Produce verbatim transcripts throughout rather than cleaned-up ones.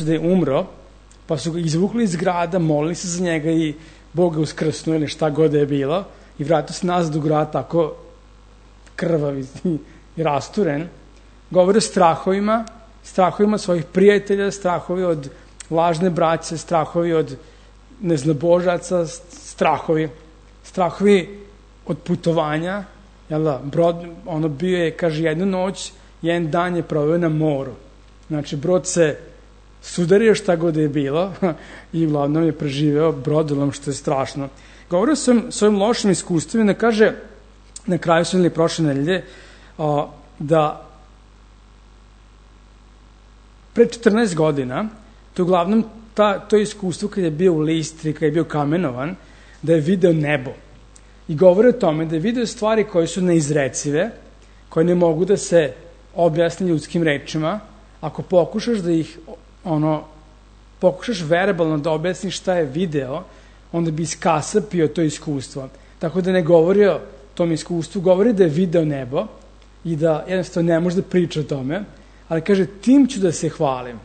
da je umro, pa su ga izvukli iz grada, molili se za njega i Bog ga uskrsnuo ili šta god da je bilo i vratio se nazad u grad tako krvav i, i rasturen. Govori o strahovima, strahovima svojih prijatelja, strahovi od lažne braće, strahovi od neznabožaca, strahovi, strahovi od putovanja, jel da, brod, ono bio je, kaže, jednu noć, jedan dan je proveo na moru. Znači, brod se sudario šta god je bilo i uglavnom je preživeo brodolom, što je strašno. Govorio sam svojim lošim iskustvima, da kaže, na kraju su ili prošle nedelje, a, da pre četrnaest godina, to je uglavnom ta, to iskustvo kad je bio u Listri, kad je bio kamenovan, da je video nebo. I govori o tome da je video stvari koje su neizrecive, koje ne mogu da se objasni ljudskim rečima. Ako pokušaš da ih, ono, pokušaš verbalno da objasniš šta je video, onda bi iskasapio to iskustvo. Tako da ne govori o tom iskustvu, govori da je video nebo i da jednostavno ne može da priča o tome, ali kaže, tim ću da se hvalim.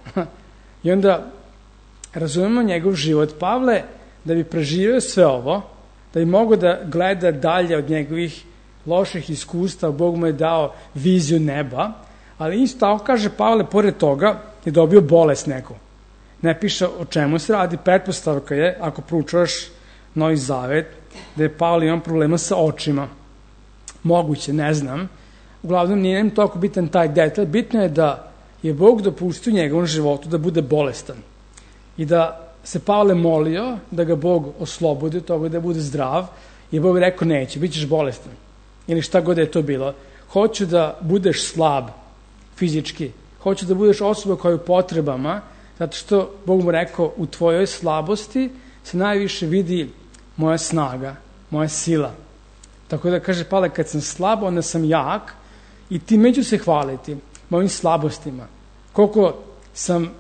I onda razumemo njegov život. Pavle, da bi preživio sve ovo, da bi mogao da gleda dalje od njegovih loših iskustva, Bog mu je dao viziju neba, ali isto tako, kaže Pavle, pored toga je dobio bolest neku. Ne piše o čemu se radi, pretpostavka je, ako proučavaš Novi Zavet, da je Pavle imao problema sa očima. Moguće, ne znam. Uglavnom, nije nam toliko bitan taj detalj. Bitno je da je Bog dopustio njegovom životu da bude bolestan. I da se Pavle molio da ga Bog oslobodi od toga, da bude zdrav, i Bog rekao, neće, bit ćeš bolestan. Ili šta god je to bilo. Hoću da budeš slab fizički. Hoću da budeš osoba koja je u potrebama, zato što Bog mu rekao, u tvojoj slabosti se najviše vidi moja snaga, moja sila. Tako da kaže Pavle, kad sam slab, onda sam jak i time ću se hvaliti mojim slabostima. Koliko sam,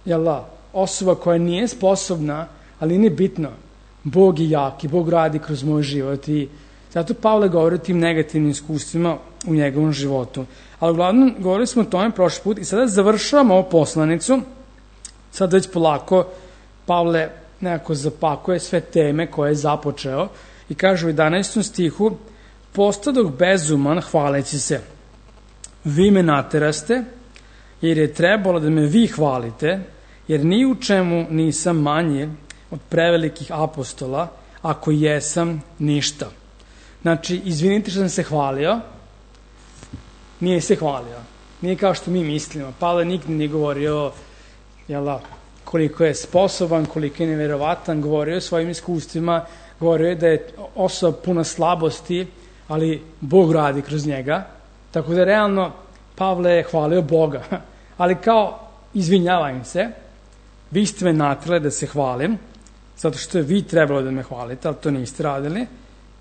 jel da, osoba koja nije sposobna, ali nije bitno. Bog je jak i Bog radi kroz moj život i zato Pavle govori o tim negativnim iskustvima u njegovom životu. Ali uglavnom govorili smo o tome prošli put i sada završavamo ovu poslanicu. Sad već polako Pavle nekako zapakuje sve teme koje je započeo i kaže u jedanaestom stihu, postadoh bezuman hvaleći se. Vi me nateraste, jer je trebalo da me vi hvalite, jer ni u čemu nisam manje od prevelikih apostola, ako jesam ništa. Znači, izvinite što sam se hvalio, nije se hvalio. Nije kao što mi mislimo. Pavle nikad nije govorio, jela, koliko je sposoban, koliko je neverovatan, govorio o svojim iskustvima, govorio je da je osoba puna slabosti, ali Bog radi kroz njega. Tako da realno Pavle je hvalio Boga. Ali kao, izvinjavam se, vi ste me natrali da se hvalim, zato što je vi trebalo da me hvalite, ali to niste radili.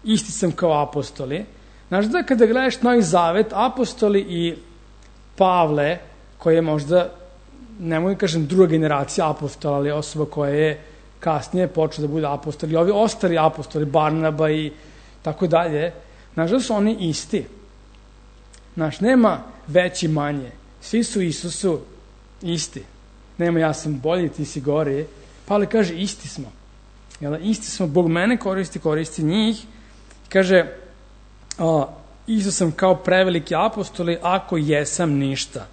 Isti sam kao apostoli. Znaš da kada gledaš Novi Zavet, apostoli i Pavle, koji je možda, ne mogu kažem druga generacija apostola, ali osoba koja je kasnije počela da bude apostol, i ovi ostali apostoli, Barnaba i tako dalje, znaš da su oni isti. Znaš, nema veći manje. Svi su Isusu isti. Nema ja sam bolji, ti si gori. Pavle kaže, isti smo. Jel, isti smo, Bog mene koristi, koristi njih. Kaže, a, Isus sam kao preveliki apostoli, ako jesam ništa.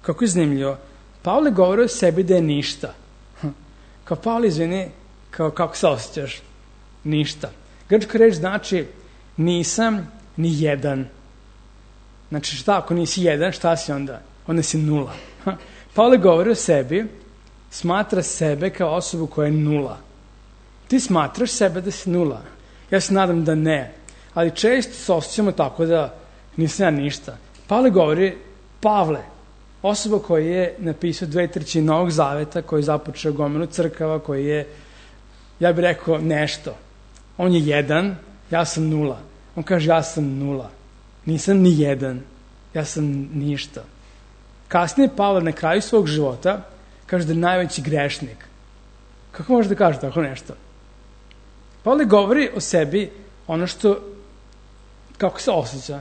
Kako je zanimljivo. Pavle govori o sebi da je ništa. Kao Pavle, izvini, kao, kako se osjećaš? Ništa. Grčka reč znači nisam ni jedan. Znači šta, ako nisi jedan, šta si onda? Onda si nula. Pavle govori o sebi, smatra sebe kao osobu koja je nula. Ti smatraš sebe da si nula. Ja se nadam da ne. Ali često se osjećamo tako da nisam ja ništa. Pavle govori, Pavle, osoba koja je napisao dve trećine Novog Zaveta, koji je započeo gomilu crkava, koji je, ja bih rekao, nešto. On je jedan, ja sam nula. On kaže, ja sam nula. Nisam ni jedan. Ja sam ništa. Kasnije Pavle na kraju svog života kaže da je najveći grešnik. Kako može da kaže tako nešto? Pavle govori o sebi ono što, kako se osjeća.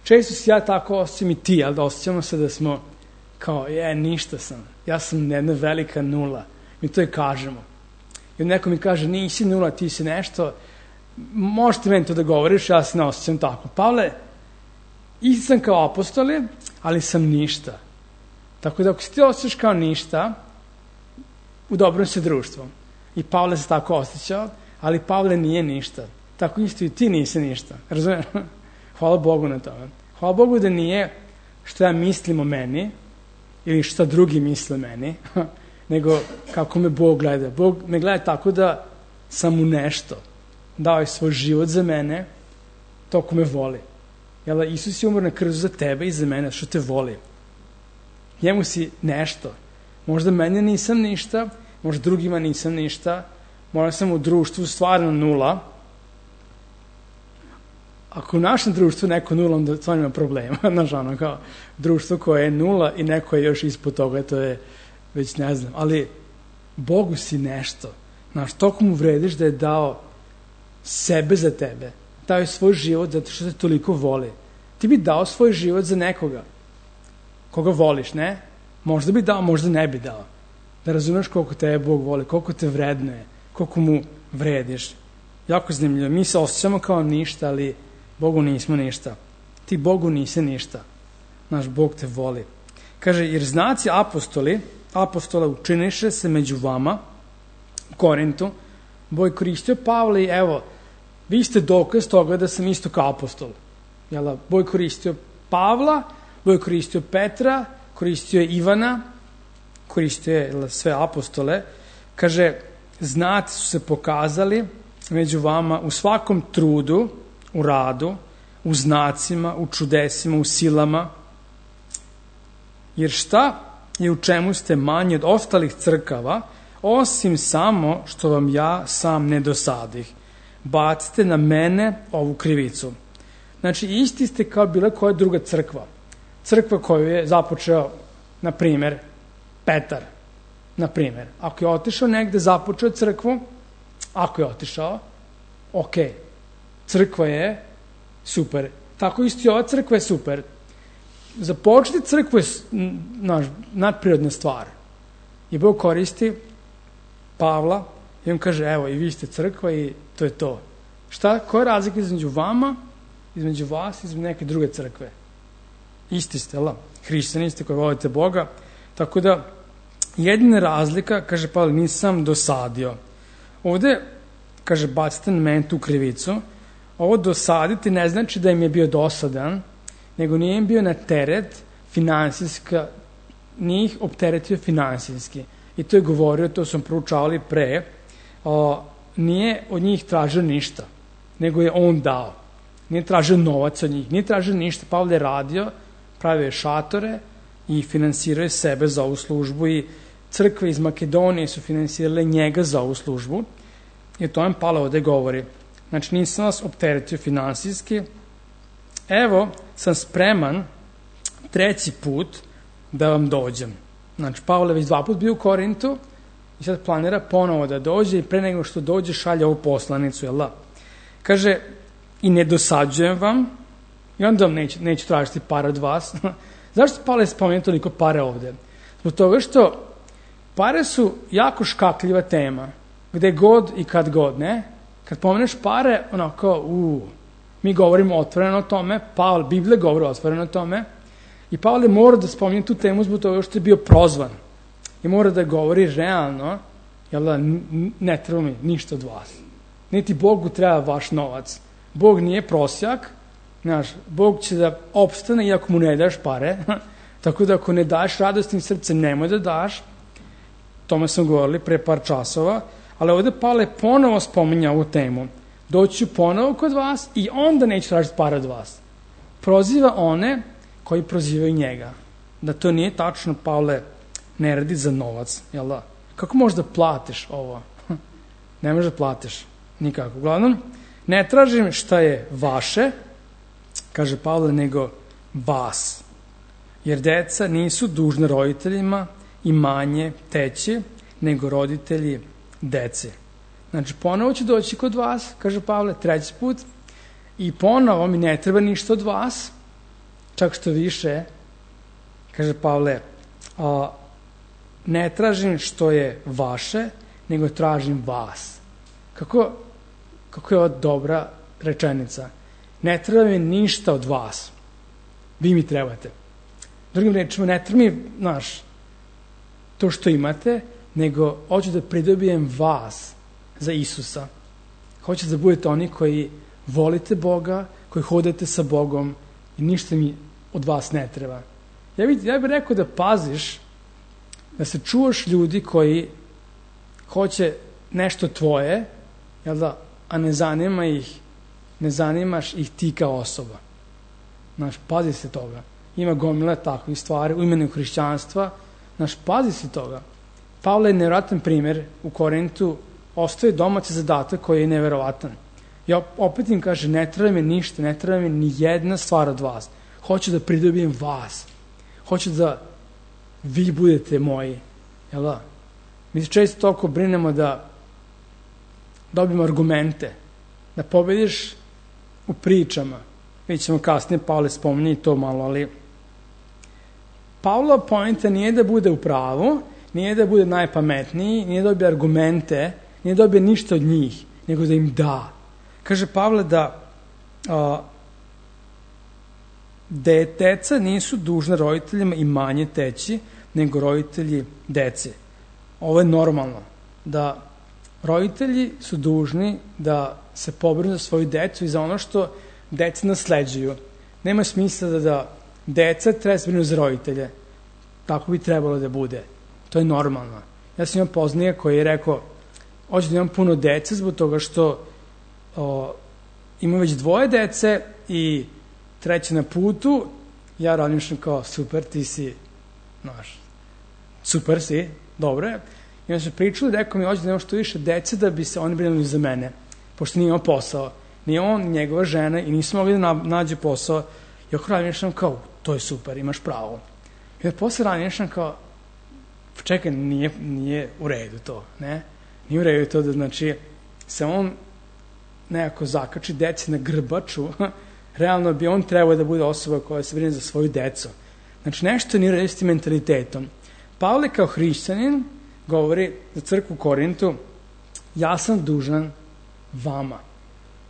Često se ja tako osjećam i ti, ali da osjećamo se da smo kao, je, ništa sam, ja sam jedna velika nula. Mi to i kažemo. I neko mi kaže, nisi nula, ti si nešto, možete meni to da govoriš, ja se ne osjećam tako. Pavle, isti sam kao apostoli, ali sam ništa. Tako da ako si ti osjećaš kao ništa, u dobrom se društvom. I Pavle se tako osjećao, ali Pavle nije ništa. Tako isto i ti nisi ništa. Razumiješ? Hvala Bogu na tome. Hvala Bogu da nije što ja mislim o meni ili šta drugi misle o meni, nego kako me Bog gleda. Bog me gleda tako da sam mu nešto. Dao je svoj život za mene, toliko me voli. Jel, Isus je umro na krstu za tebe i za mene, što te voli. Njemu si nešto. Možda mene nisam ništa, možda drugima nisam ništa, možda sam u društvu stvarno nula. Ako u našem društvu neko nula, onda stvarno ima problema. Znaš, ono, kao društvo koje je nula i neko je još ispod toga, to je već ne znam. Ali Bogu si nešto. Znaš, toliko mu vrediš da je dao sebe za tebe. Dao je svoj život zato što te toliko voli. Ti bi dao svoj život za nekoga koga voliš, ne? Možda bi dao, možda ne bi dao. Da razumeš koliko tebe Bog voli, koliko te vrednuje, koliko mu vrediš. Jako zanimljivo. Mi se osjećamo kao ništa, ali Bogu nismo ništa. Ti Bogu nisi ništa. Naš Bog te voli. Kaže, jer znaci apostoli, apostola učiniše se među vama, u Korintu, Bog koristio Pavla i evo, vi ste dokaz toga da sam isto kao apostol. Jel, Bog koristio Pavla, Bog koristio Petra, koristio je Ivana, koristio je sve apostole. Kaže, znaci su se pokazali među vama u svakom trudu, u radu, u znacima, u čudesima, u silama. Jer šta i u čemu ste manji od ostalih crkava, osim samo što vam ja sam ne dosadih. Bacite na mene ovu krivicu. Znači, isti ste kao bila koja druga crkva. Crkva koju je započeo, na primer, Petar. Na primer, ako je otišao negde, započeo crkvu, ako je otišao, ok, crkva je super. Tako isto i ova crkva je super. Započeti crkvu je naš, nadprirodna stvar. I Bog koristi Pavla i on kaže, evo, i vi ste crkva i to je to. Šta, koja je razlika između vama, između vas i između neke druge crkve? Isti ste, la? Hrišćani ste koji volite Boga. Tako da, jedina razlika, kaže Pavle, nisam dosadio. Ovde, kaže, bacite na mene tu krivicu. Ovo dosaditi ne znači da im je bio dosadan, nego nije im bio na teret finansijska, nije ih opteretio finansijski. I to je govorio, to sam proučavali pre, o, nije od njih tražio ništa, nego je on dao. Nije tražio novac od njih, nije tražio ništa. Pavle je radio, pravio je šatore i finansirao je sebe za ovu službu i crkve iz Makedonije su finansirale njega za ovu službu. I to vam Pavle ovde govori. Znači, nisam vas opteretio finansijski. Evo, sam spreman treći put da vam dođem. Znači, Pavle već dva put bio u Korintu i sad planira ponovo da dođe i pre nego što dođe šalje ovu poslanicu, jel da? Kaže, i ne dosađujem vam i onda vam neću, neću tražiti pare od vas. Zašto Pavle spomenuo toliko pare ovde? Zbog toga što pare su jako škakljiva tema. Gde god i kad god, ne? Kad pomeneš pare, onako, u, mi govorimo otvoreno o tome, Pavle, Biblija govori otvoreno o tome, i Pavle mora da spominje tu temu zbog toga što je bio prozvan. I mora da govori realno, jel da, ne treba mi ništa od vas. Niti Bogu treba vaš novac. Bog nije prosjak, znaš, Bog će da opstane iako mu ne daš pare, tako da ako ne daš radostim srcem, nemoj da daš, tome smo govorili pre par časova, ali ovde Pavle ponovo spominja ovu temu. Doći ponovo kod vas i onda neću tražiti pare od vas. Proziva one koji prozivaju njega. Da to nije tačno, Pavle ne radi za novac, jel da? Kako možeš da platiš ovo? Ne možeš da platiš, nikako. Uglavnom, ne tražim šta je vaše, kaže Pavle, nego vas. Jer deca nisu dužne roditeljima i manje teći, nego roditelji dece. Znači, ponovo ću doći kod vas, kaže Pavle, treći put, i ponovo mi ne treba ništa od vas, čak što više, kaže Pavle, a, ne tražim što je vaše, nego tražim vas. Kako, kako je ovo dobra rečenica? Ne treba mi ništa od vas. Vi mi trebate. Drugim rečima, ne treba mi, znaš, to što imate, nego hoću da pridobijem vas za Isusa. Hoću da budete oni koji volite Boga, koji hodate sa Bogom i ništa mi od vas ne treba. Ja bih, ja bih rekao da paziš, da se čuvaš ljudi koji hoće nešto tvoje, jel da, a ne zanima ih, ne zanimaš ih ti kao osoba. Znaš, pazi se toga. Ima gomila takvih stvari u imenu hrišćanstva. Znaš, pazi se toga. Pavle je nevjerojatan primjer u Korintu, ostaje domaći zadatak koji je nevjerovatan. Ja opet im kaže, ne treba mi ništa, ne treba mi ni jedna stvar od vas. Hoću da pridobijem vas. Hoću da vi budete moji. Jel da? Mi se često toliko brinemo da dobijemo argumente, da pobediš u pričama. Mi ćemo kasnije, Pavle spominje to malo, ali Pavlova poenta nije da bude u pravu, nije da bude najpametniji, nije da dobije argumente, nije da dobije ništa od njih, nego da im da. Kaže Pavle da a, deca nisu dužne roditeljima i manje teći, nego roditelji dece. Ovo je normalno, da roditelji su dužni da se pobrinu za svoju decu i za ono što deca nasleđuju. Nema smisla da, da deca treba se brinu za roditelje. Tako bi trebalo da bude. To je normalno. Ja sam imao poznije koji je rekao, hoću da imam puno dece zbog toga što o, imam već dvoje dece i treće na putu, ja razmišljam kao, super, ti si, znaš, super si, dobro je. I onda su pričali, rekao mi, hoću da imam što više dece da bi se oni brinuli za mene, pošto nije imao posao. Nije on, njegova žena i nisu mogli da nađe posao. I ako razmišljam kao, to je super, imaš pravo. I onda posle razmišljam kao, čekaj, nije, nije u redu to, ne? Nije u redu to da, znači, se on nekako zakači deci na grbaču, realno bi on trebao da bude osoba koja se brine za svoju decu. Znači, nešto nije u redu s tim mentalitetom. Pavle kao hrišćanin govori za crkvu u Korintu, ja sam dužan vama.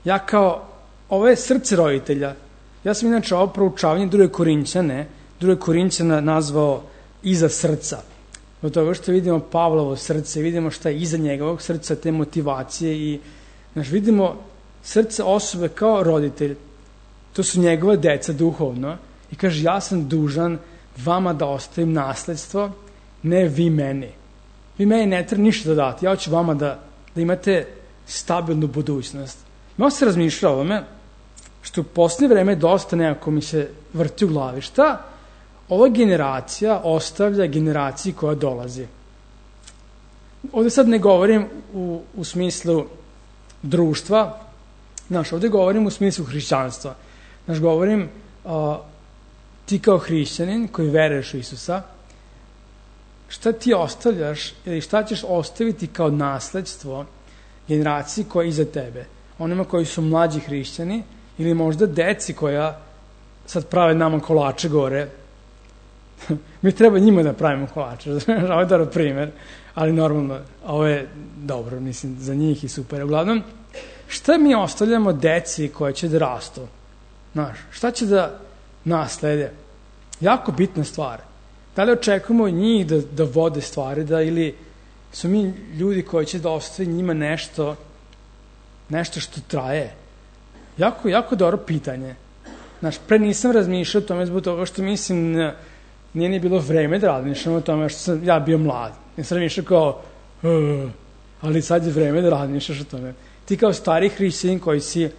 Ja kao, ovo je srce roditelja. Ja sam inače ovo proučavanje druge Korinćane, druge Korinćana nazvao iza srca. Od toga što vidimo Pavlovo srce, vidimo šta je iza njegovog srca, te motivacije i znaš, vidimo srce osobe kao roditelj. To su njegova deca duhovno. I kaže, ja sam dužan vama da ostavim nasledstvo, ne vi meni. Vi meni ne treba ništa da dati. Ja hoću vama da, da imate stabilnu budućnost. Malo se razmišlja o ovome, što u posljednje vreme dosta nekako mi se vrti u glavi. Šta ova generacija ostavlja generaciji koja dolazi? Ovde sad ne govorim u, u smislu društva, znaš, ovde govorim u smislu hrišćanstva. Znaš, govorim uh, ti kao hrišćanin koji veruješ u Isusa, šta ti ostavljaš ili šta ćeš ostaviti kao nasledstvo generaciji koja je iza tebe? Onima koji su mlađi hrišćani ili možda deci koja sad prave nama kolače gore. Mi treba njima da pravimo kolače, ovo je dobar primer, ali normalno, ovo je dobro, mislim, za njih i super. Uglavnom, šta mi ostavljamo deci koje će da rastu? Znaš, šta će da naslede? Jako bitna stvar. Da li očekujemo njih da, da vode stvari, da ili su mi ljudi koji će da ostavi njima nešto, nešto što traje? Jako, jako dobro pitanje. Znaš, pre nisam razmišljao o tome zbog toga što mislim, nije ni bilo vreme da razmišljam o tome što sam ja bio mlad. Nisam razmišljao kao, uh, ali sad je vreme da razmišljaš o tome. Ti kao stari hrišćanin koji si,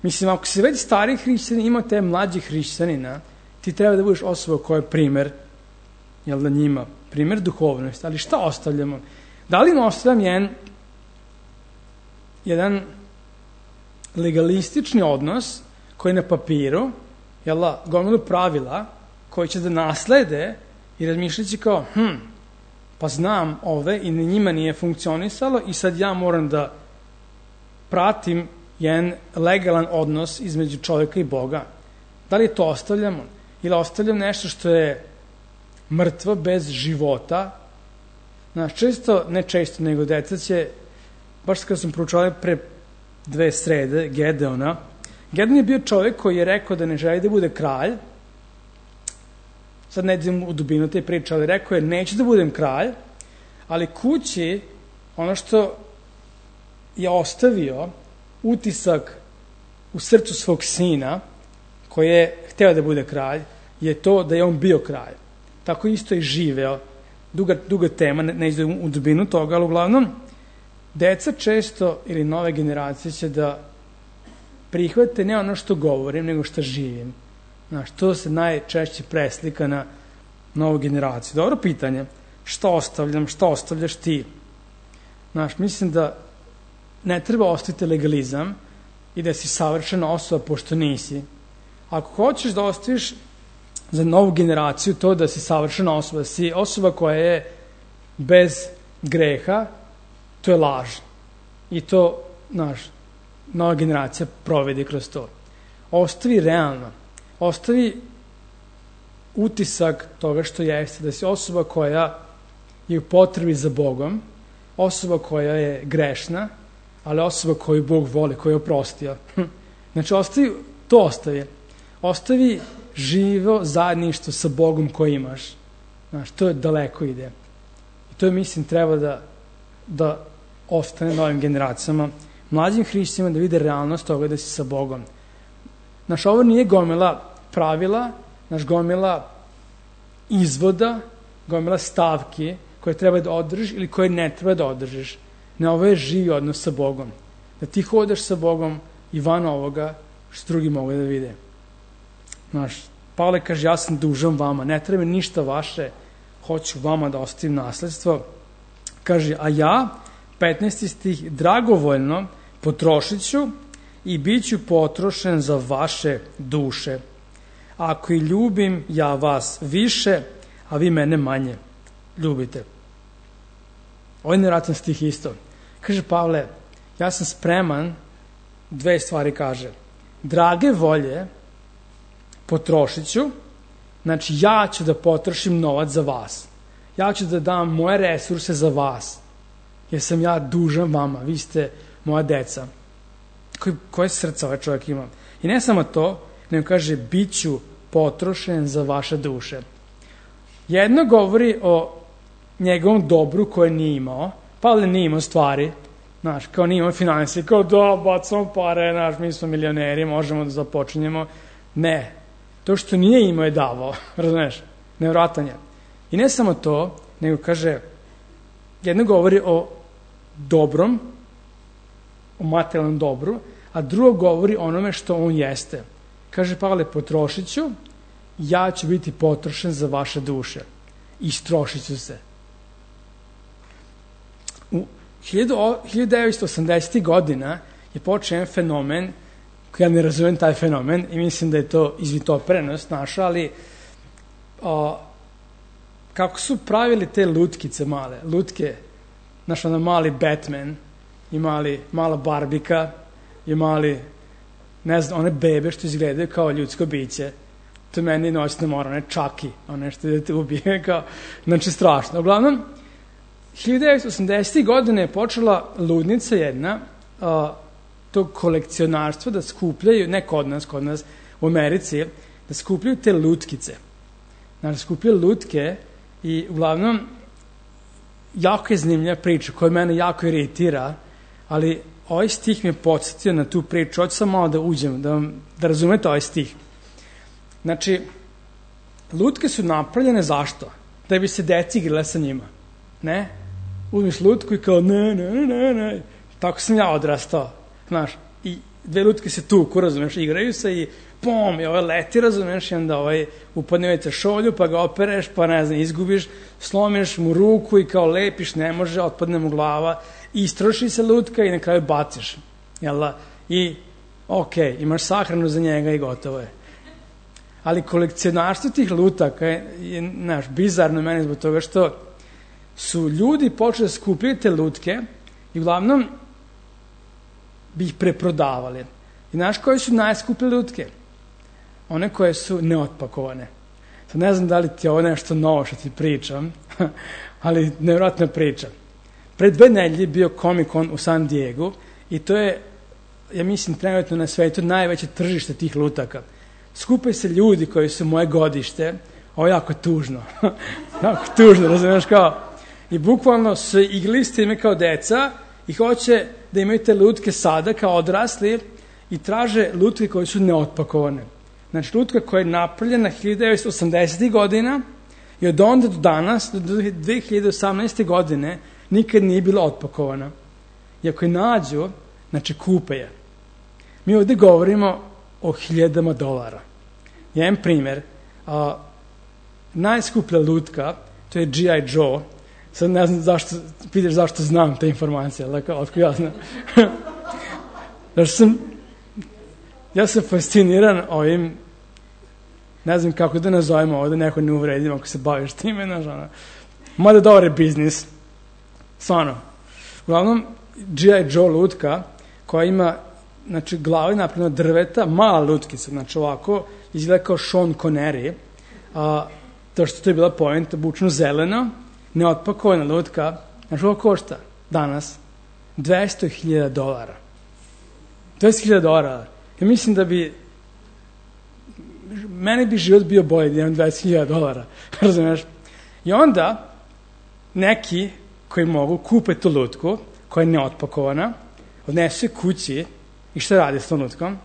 mislim, ako si već stari hrišćanin, ima te mlađi hrišćanina, ti treba da budeš osoba koja je primer, jel da njima, primer duhovnosti, ali šta ostavljamo? Da li im ostavljam jedan, jedan legalistični odnos koji je na papiru, jel da, gomilu pravila koji će da naslede i razmišljaći kao, hm, pa znam ove i njima nije funkcionisalo i sad ja moram da pratim jedan legalan odnos između čovjeka i Boga. Da li to ostavljamo? Ili ostavljam nešto što je mrtvo, bez života. Znaš, često, ne često, nego deca će, baš kada sam proučavao pre dve srede, Gedeona, Gedeon je bio čovjek koji je rekao da ne želi da bude kralj. Sad ne idem u dubinu te priče, ali rekao je neću da budem kralj, ali kući ono što je ostavio utisak u srcu svog sina koji je hteo da bude kralj, je to da je on bio kralj. Tako isto i živeo. Duga, duga tema, ne, ne idem u dubinu toga, ali uglavnom deca često ili nove generacije će da prihvate ne ono što govorim, nego što živim. Znaš, to se najčešće preslika na novu generaciju. Dobro pitanje, šta ostavljam, šta ostavljaš ti? Znaš, mislim da ne treba ostaviti legalizam i da si savršena osoba pošto nisi. Ako hoćeš da ostaviš za novu generaciju to da si savršena osoba, da si osoba koja je bez greha, to je laž. I to, znaš, nova generacija provedi kroz to. Ostavi realno. Ostavi utisak toga što jeste, da si osoba koja je u potrebi za Bogom, osoba koja je grešna, ali osoba koju Bog voli, koju je oprostio. Znači, ostavi, to ostavi. Ostavi živo zajedništvo sa Bogom koji imaš. Znaš, to je daleko ide. I to je, mislim, treba da, da ostane novim generacijama, mlađim hrišćanima da vide realnost toga da si sa Bogom. Znaš, ovo nije gomila pravila, naš gomila izvoda, gomila stavki koje treba da održiš ili koje ne treba da održiš. Ne, ovo je živi odnos sa Bogom. Da ti hodaš sa Bogom i van ovoga što drugi mogu da vide. Znaš, Pavle kaže, ja sam dužan vama, ne treba ništa vaše, hoću vama da ostavim nasledstvo. Kaže, a ja, petnaesti stih, dragovoljno potrošit ću i bit ću potrošen za vaše duše. Ako i ljubim ja vas više, a vi mene manje ljubite. Ovo je nevjerojatan stih isto. Kaže Pavle, ja sam spreman, dve stvari kaže. Drage volje potrošit ću, znači ja ću da potrošim novac za vas. Ja ću da dam moje resurse za vas, jer sam ja dužan vama, vi ste moja deca. Koje, koje srca ovaj čovjek ima? I ne samo to, nego kaže, bit ću potrošen za vaše duše. Jedno govori o njegovom dobru koje nije imao. Pavle nije imao stvari, znaš, kao nije imao finansije, kao da, bacamo pare, znaš, mi smo milioneri, možemo da započinjemo. Ne, to što nije imao je davao, razumeš, nevjerojatan je. I ne samo to, nego kaže, jedno govori o dobrom, o materijalnom dobru, a drugo govori o onome što on jeste. Kaže Pavle, potrošit ću, ja ću biti potrošen za vaše duše. Istrošit ću se. U hiljadu devetsto osamdesetih godina je počeo jedan fenomen, koji ja ne razumem taj fenomen i mislim da je to izvitoprenost naša, ali o, kako su pravili te lutkice male, lutke, znaš, ono mali Batman, i mali, mala Barbika, i mali, ne znam, one bebe što izgledaju kao ljudsko biće, to meni noćno mora, one čaki, one što da te ubije, kao, znači strašno. Uglavnom, hiljadu devetsto osamdesetih godine je počela ludnica jedna, a, tog kolekcionarstva da skupljaju, ne kod nas, kod nas u Americi, da skupljaju te lutkice. Znači, skupljaju lutke i uglavnom jako je zanimljiva priča koja mene jako iritira, ali ovaj stih mi je podsjetio na tu priču. Hoću sam malo da uđem, da, vam, da razumete ovaj stih. Znači, lutke su napravljene zašto? Da bi se deci igrale sa njima. Ne? Uzmiš lutku i kao ne, ne, ne, ne. Tako sam ja odrastao. Znaš, i dve lutke se tuku, razumeš, igraju se i pom, i ovaj leti, razumeš, i onda ovaj upadne u šolju, pa ga opereš, pa ne znam, izgubiš, slomiš mu ruku i kao lepiš, ne može, otpadne mu glava, i istroši se lutka i na kraju baciš. Jel? I, ok, imaš sahranu za njega i gotovo je. Ali kolekcionarstvo tih lutaka je, je znaš, bizarno meni zbog toga što su ljudi počeli da skupljaju te lutke i uglavnom bi ih preprodavali. I znaš koje su najskuplje lutke? One koje su neotpakovane. Sad ne znam da li ti je ovo nešto novo što ti pričam, ali nevjerojatna priča. Pre dve nedelje bio Comic-Con u San Diego i to je, ja mislim, trenutno na svetu najveće tržište tih lutaka. Skupe se ljudi koji su moje godište, ovo je jako tužno, jako tužno, razumiješ kao, i bukvalno su igrali s time kao deca i hoće da imaju te lutke sada kao odrasli i traže lutke koje su neotpakovane. Znači, lutka koja je napravljena hiljadu devetsto osamdesetih godina i od onda do danas, do dve hiljade osamnaeste. godine, nikad nije bila otpakovana. I ako je nađu, znači kupe je. Mi ovdje govorimo o hiljadama dolara. Jedan primjer, a, najskuplja lutka, to je G I. Joe. Sad ne znam zašto, pitaš zašto znam te informacije, ali kao, otko ja znam. Znači sam, ja sam fasciniran ovim, ne znam kako da nazovemo ovdje, neko ne uvredim ako se baviš time, znaš, ono. Mada dobar je biznis. Stvarno. Uglavnom, G I. Joe lutka, koja ima, znači, glavi napravljena od drveta, mala lutkica, znači ovako, izgleda kao Sean Connery, a, to što to je bila poenta, bučno zeleno, neotpakovana lutka, znači ovo košta danas dvesta hiljada dolara. dvesta hiljada dolara. Ja mislim da bi, meni bi život bio bolji da imam dvadeset hiljada dolara, razumiješ? I onda, neki koji mogu kupe tu lutku, koja je neotpakovana, odnesu je kući i šta radi s tom lutkom?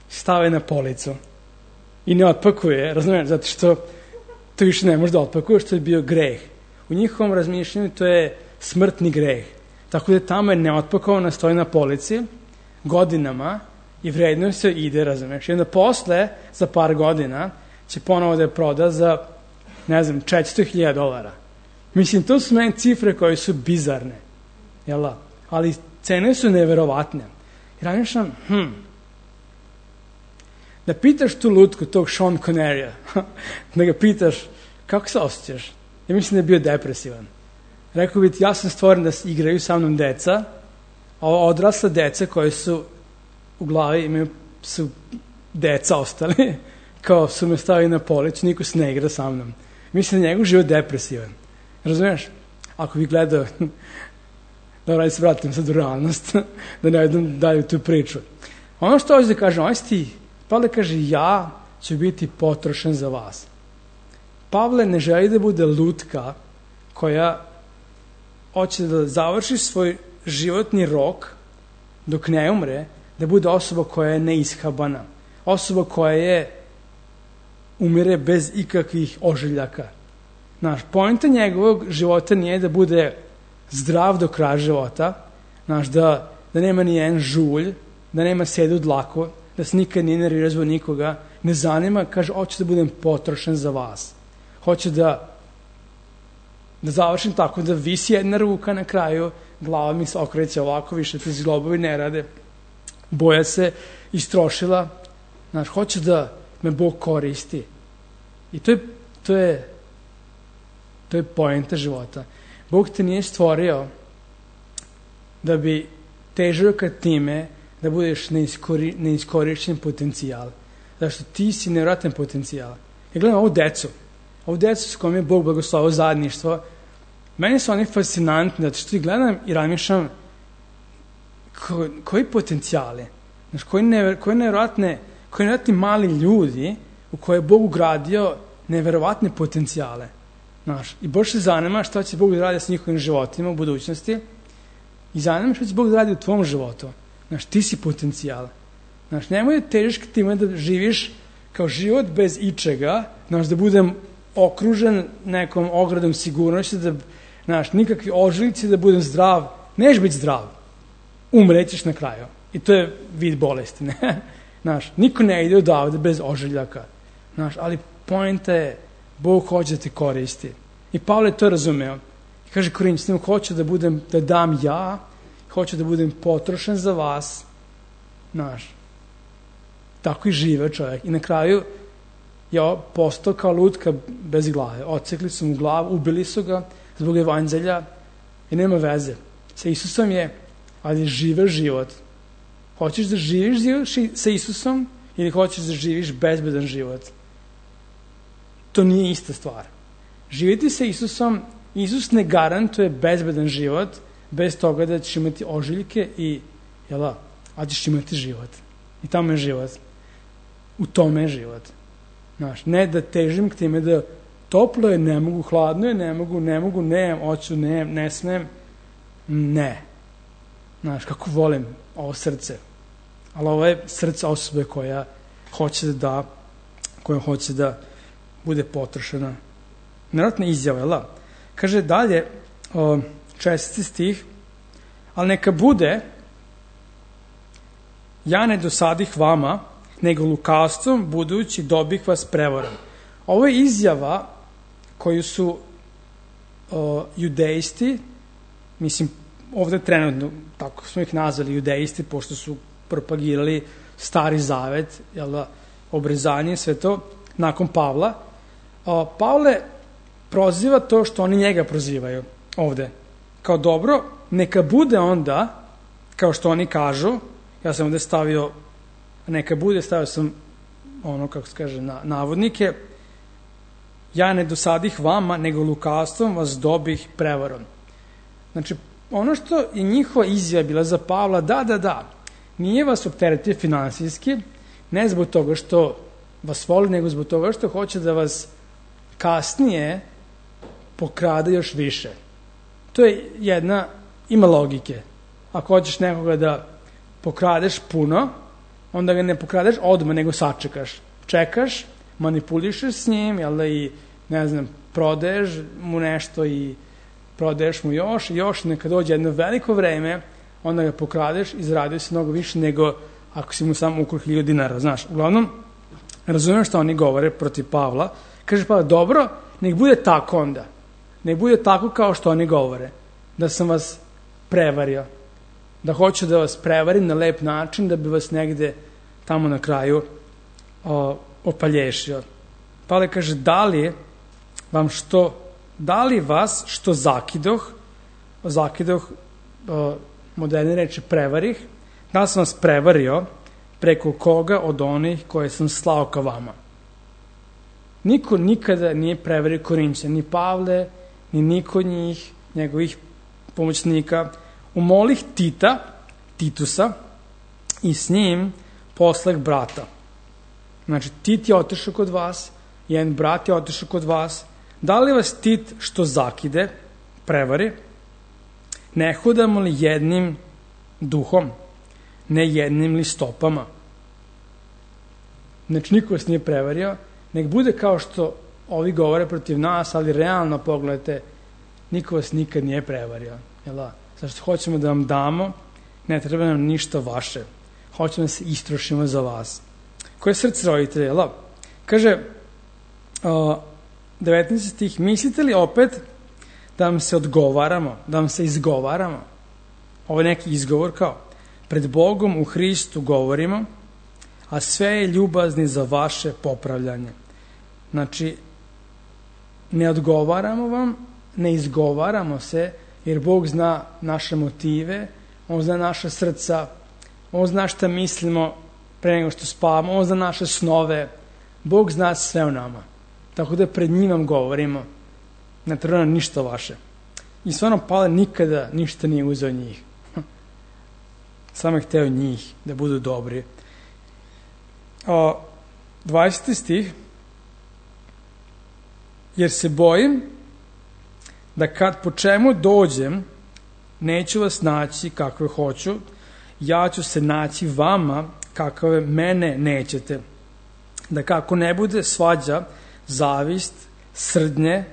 Stave na policu i ne otpakuje, razumiješ, zato što to više ne može da otpakuje, što je bio greh. U njihovom razmišljanju to je smrtni greh. Tako da tamo je neotpakovana, stoji na polici godinama i vredno se ide, razumiješ. I onda posle, za par godina, će ponovo da je proda za, ne znam, četiristo hiljada dolara. Mislim, to su meni cifre koje su bizarne, jel da? Ali cene su neverovatne. I razmišljam, hm, da pitaš tu lutku, tog Sean Connerya, da ga pitaš, kako se osjećaš? Ja mislim da je bio depresivan. Rekao bi ti, ja sam stvoren da igraju sa mnom deca, a ova odrasla deca koje su u glavi, imaju, su deca ostali, kao su me stavili na policu, niko se ne igra sa mnom. Mislim da je njegov život depresivan. Razumiješ? Ako bih gledao, da radi se vratim sad u realnost, da ne vedem dalje tu priču. Ono što hoće da kažem, ovaj stih, Pavle kaže, ja ću biti potrošen za vas. Pavle ne želi da bude lutka koja hoće da završi svoj životni rok dok ne umre, da bude osoba koja je neishabana, osoba koja je umire bez ikakvih ožiljaka. Znaš, poenta njegovog života nije da bude zdrav do kraja života, znaš, da, da nema ni jedan žulj, da nema sedu dlaku, da se nikad nije nervirao zbog nikoga, ne zanima, kaže, hoću da budem potrošen za vas. Hoću da da završim tako da visi jedna ruka na kraju, glava mi se okreće ovako, više ti zglobovi ne rade, boja se istrošila, znaš, hoću da me Bog koristi. I to je, to je, to je poenta života. Bog te nije stvorio da bi težio ka time da budeš neiskori, neiskorišćen potencijal. Zašto ti si nevjerojatan potencijal. Ja gledam ovu decu, ovu decu s kojom je Bog blagoslovio zajedništvo, meni su oni fascinantni, zato što ih gledam i razmišljam ko, koji potencijali, znaš, koji, never, koji nevjerojatne, koji nevjerojatni mali ljudi u koje je Bog ugradio nevjerovatne potencijale. Znaš, i baš se zanima šta će Bog da radi s njihovim životima u budućnosti i zanima šta će Bog da radi u tvom životu. Znaš, ti si potencijal. Znaš, nemoj da težiš k time da živiš kao život bez ičega, znaš, da budem okružen nekom ogradom sigurnosti, da, znaš, nikakvi ožiljci, da budem zdrav. Neš biti zdrav. Umrećeš na kraju. I to je vid bolesti, ne? Znaš, niko ne ide odavde bez ožiljaka. Znaš, ali poenta je, Bog hoće da te koristi. I Pavle to razumeo. I kaže Korinćanima, hoću da budem, da dam ja, hoću da budem potrošen za vas. Znaš, tako i žive čovjek. I na kraju je postao kao lutka bez glave. Odsekli su mu glavu, ubili su ga zbog evanđelja i nema veze. Sa Isusom je, ali žive život. Hoćeš da živiš sa Isusom ili hoćeš da živiš bezbedan život? to nije ista stvar. Živjeti sa Isusom, Isus ne garantuje bezbedan život bez toga da ćeš imati ožiljke i, jela, a ćeš imati život. I tamo je život. U tome je život. Znaš, ne da težim k time da toplo je, ne mogu, hladno je, ne mogu, ne mogu, ne, hoću, ne, ne smem. Ne. Znaš, kako volim ovo srce. Ali ovo je srce osobe koja hoće da da, koja hoće da bude potrošena. Nevjerojatna izjava, jel da? Kaže dalje, čestiti stih, ali neka bude, ja ne dosadih vama, nego lukavstvom, budući dobih vas prevarom. Ovo je izjava koju su o, judejsti, mislim, ovde trenutno, tako smo ih nazvali judejsti, pošto su propagirali Stari Zavet, jel da, obrezanje, sve to, nakon Pavla. O, Pavle proziva to što oni njega prozivaju ovde. Kao dobro, neka bude onda, kao što oni kažu, ja sam ovde stavio, neka bude, stavio sam ono, kako se kaže, na, navodnike, ja ne dosadih vama, nego lukavstvom vas dobih prevarom. Znači, ono što je njihova izjava bila za Pavla, da, da, da, nije vas opteretio finansijski, ne zbog toga što vas voli, nego zbog toga što hoće da vas kasnije pokrade još više. To je jedna, ima logike. Ako hoćeš nekoga da pokradeš puno, onda ga ne pokradeš odmah, nego sačekaš. Čekaš, manipulišeš s njim, jel da, i, ne znam, prodaješ mu nešto i prodaješ mu još i još, neka dođe jedno veliko vreme, onda ga pokradeš i zaradio se mnogo više nego ako si mu samo ukrao hiljadu dinara, znaš. Uglavnom, razumijem što oni govore protiv Pavla. Kaže Pavle, dobro, nek bude tako onda. Nek bude tako kao što oni govore. Da sam vas prevario. Da hoću da vas prevarim na lep način, da bi vas negde tamo na kraju o, opalješio. Pavle kaže, da li vam što, da li vas što zakidoh, zakidoh, o, moderne reči prevarih, da sam vas prevario preko koga od onih koje sam slao ka vama. Niko nikada nije prevario Korinćane, ni Pavle, ni niko od njih, njegovih pomoćnika. Umolih Tita, Titusa, i s njim poslah brata. Znači, Tit je otišao kod vas, jedan brat je otišao kod vas. Da li vas Tit što zakide, prevari, ne hodamo li jednim duhom, ne jednim li stopama? Znači, niko vas nije prevario, nek bude kao što ovi govore protiv nas, ali realno pogledajte, niko vas nikad nije prevario. Jel da? Zašto hoćemo da vam damo, ne treba nam ništa vaše. Hoćemo da se istrošimo za vas. Koje srce roditelja, jel da? Kaže, uh, devetnaesti stih, mislite li opet da vam se odgovaramo, da vam se izgovaramo? Ovo je neki izgovor kao, pred Bogom u Hristu govorimo, a sve je ljubazni za vaše popravljanje. Znači, ne odgovaramo vam, ne izgovaramo se, jer Bog zna naše motive, On zna naša srca, On zna šta mislimo pre nego što spavamo, On zna naše snove, Bog zna sve o nama. Tako da pred njim vam govorimo, ne treba nam ništa vaše. I stvarno Pavle nikada ništa nije uzeo njih. Samo je hteo njih da budu dobri. O, dvadeseti stih, jer se bojim da kad po čemu dođem, neću vas naći kakve hoću, ja ću se naći vama kakve mene nećete. Da kako ne bude svađa, zavist, srdnje,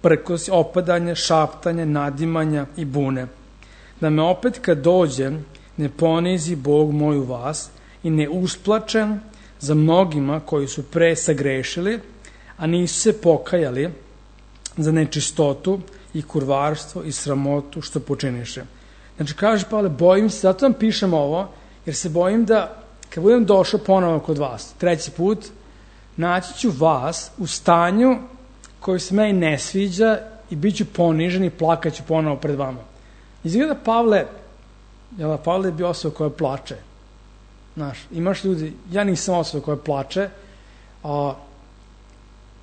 prkos, opadanje, šaptanje, nadimanja i bune. Da me opet kad dođem ne ponizi Bog moj u vas i ne usplačem za mnogima koji su pre sagrešili, a nisu se pokajali za nečistotu i kurvarstvo i sramotu što počiniše. Znači, kaže Pavle, bojim se, zato vam pišem ovo, jer se bojim da, kad budem došao ponovo kod vas, treći put, naći ću vas u stanju koji se meni ne sviđa i bit ću ponižen i plakaću ponovo pred vama. Izgleda Pavle, jel, Pavle je bio osoba koja plače. Znaš, imaš ljudi, ja nisam osoba koja plače, a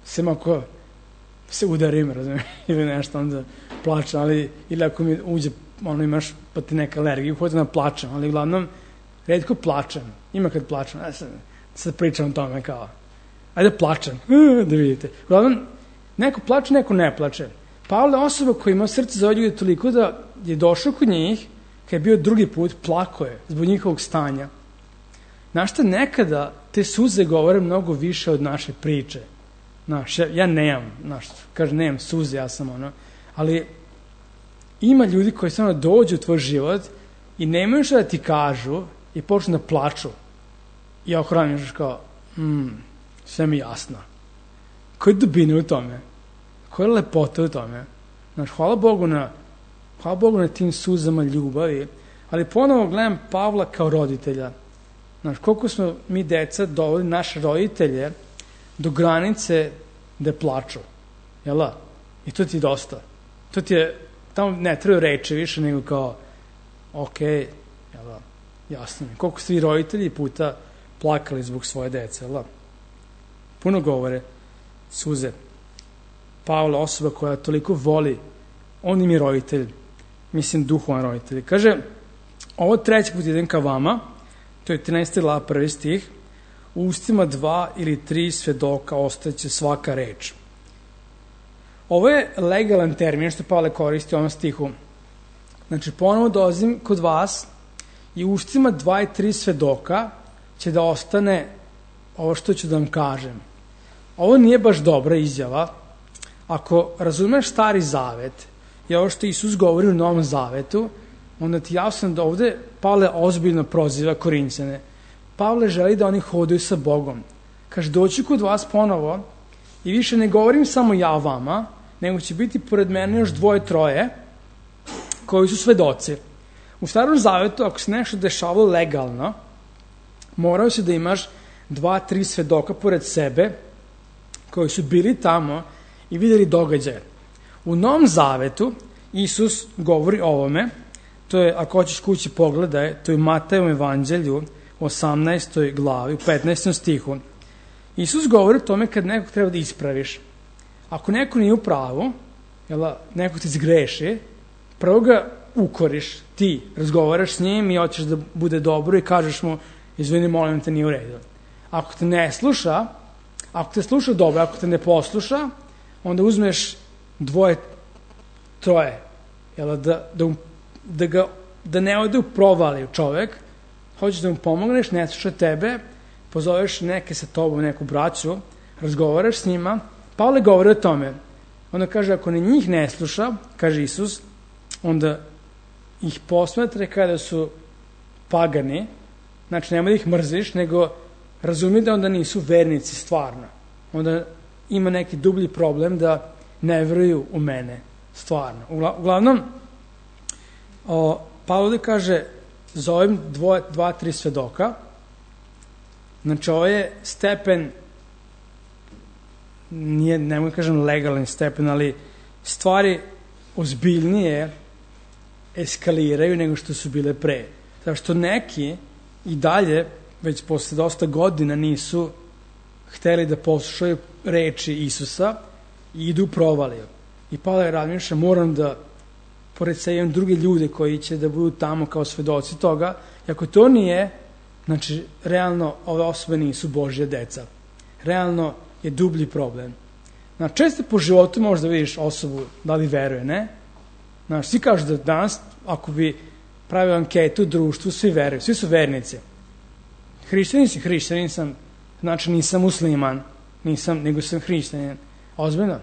sem ako se udarim, razumiješ, ili nešto, onda plačem, ali, ili ako mi uđe, ono imaš, pa ti neka alergija, hoću da plačem, ali uglavnom, redko plačem, ima kad plačem, ja sad, sad pričam o tome kao, ajde plačem, da vidite. Uglavnom, neko plače, neko ne plače. Pavle je osoba koja ima srce za ove ljude toliko da je došao kod njih, kad je bio drugi put, plako je zbog njihovog stanja. Znaš šta, nekada te suze govore mnogo više od naše priče. Znaš, ja, ja nemam, znaš, kaže, nemam suze, ja sam ono, ali ima ljudi koji samo dođu u tvoj život i nemaju što da ti kažu i počnu da plaču. I ohraniš kao, hmm, sve mi jasno. Koje dubine u tome? Koja lepota u tome? Znaš, hvala Bogu na, hvala Bogu na tim suzama ljubavi, ali ponovo gledam Pavla kao roditelja. Znaš, koliko smo mi deca doveli naše roditelje do granice da plaču. Jel da? I to ti je dosta. To ti je, tamo ne treba reći više nego kao, ok, jel da, jasno mi. Koliko ste vi roditelji puta plakali zbog svoje dece, jel da? Puno govore suze. Pavle, osoba koja toliko voli, on im je roditelj, mislim duhovan roditelj. Kaže, ovo treći put idem ka vama, to je trinaesta glava prvi stih, u ustima dva ili tri svedoka ostaće svaka reč. Ovo je legalan termin što Pavle koristi u ovom stihu. Znači, ponovo dolazim kod vas i u ustima dva i tri svedoka će da ostane ovo što ću da vam kažem. Ovo nije baš dobra izjava. Ako razumeš Stari Zavet i ovo što Isus govori u Novom Zavetu, onda ti jasno da ovde Pavle ozbiljno proziva Korinćane. Pavle želi da oni hodaju sa Bogom. Kaže, doći kod vas ponovo i više ne govorim samo ja vama, nego će biti pored mene još dvoje, troje koji su svedoci. U Starom Zavetu, ako se nešto dešavalo legalno, morao si da imaš dva, tri svedoka pored sebe koji su bili tamo i videli događaje. U Novom Zavetu Isus govori o ovome, to je, ako hoćeš kući pogledaj, to je u Matejevom evanđelju u osamnaestoj glavi, u petnaestom stihu. Isus govori o tome kad nekog treba da ispraviš. Ako neko nije u pravu, jel, neko ti zgreši, prvo ga ukoriš, ti razgovaraš s njim i hoćeš da bude dobro i kažeš mu, izvini, molim te, nije u redu. Ako te ne sluša, ako te sluša dobro, ako te ne posluša, onda uzmeš dvoje, troje, jel, da, da, da, ga, da ne ode u provaliju čovek, hoćeš da mu pomogneš, ne sluša tebe, pozoveš neke sa tobom, neku braću, razgovaraš s njima. Pavle govori o tome. Onda kaže, ako ne njih ne sluša, kaže Isus, onda ih posmatre kada su pagani, znači nema da ih mrziš, nego razumi da onda nisu vernici stvarno. Onda ima neki dublji problem da ne veruju u mene stvarno. Uglavnom, o, Pavle kaže, zovem dvoje, dva, tri svedoka. Znači, ovo je stepen, nije, ne mogu kažem legalan stepen, ali stvari ozbiljnije eskaliraju nego što su bile pre. Zato što neki i dalje, već posle dosta godina, nisu hteli da poslušaju reči Isusa i idu u provaliju. I Pavle razmišlja, moram da pored sebe imam druge ljude koji će da budu tamo kao svedoci toga. I ako to nije, znači, realno ove osobe nisu Božja deca. Realno je dublji problem. Znači, često po životu možda vidiš osobu da li veruje, ne? Znači, svi kažu da danas, ako bi pravio anketu u društvu, svi veruju, svi su vernici. Hrišćanin si, hrišćanin sam, znači nisam musliman, nisam, nego sam hrišćanin. Ozbiljno?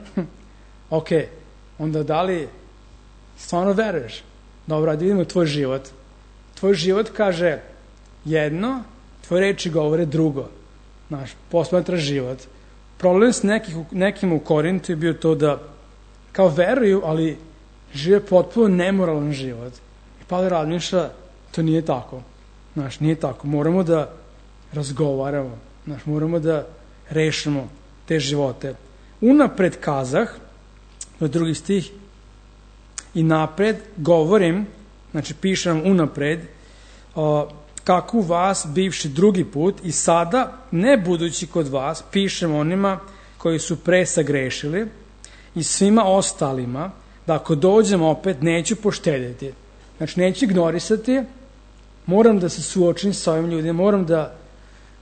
Ok, onda da li stvarno veruješ? Dobro, da vidimo tvoj život. Tvoj život kaže jedno, tvoje reči govore drugo. Znaš, posmatra život. Problem s nekih, nekim u Korintu je bio to da kao veruju, ali žive potpuno nemoralan život. I Pavle razmišlja, to nije tako. Znaš, nije tako. Moramo da razgovaramo. Znaš, moramo da rešimo te živote. Unapred kazah, to je drugi stih, i napred govorim, znači pišem unapred, o, kako vas bivši drugi put i sada, ne budući kod vas, pišem onima koji su pre sagrešili i svima ostalima, da ako dođem opet neću poštedjeti. Znači, neću ignorisati, moram da se suočim sa ovim ljudima, moram da,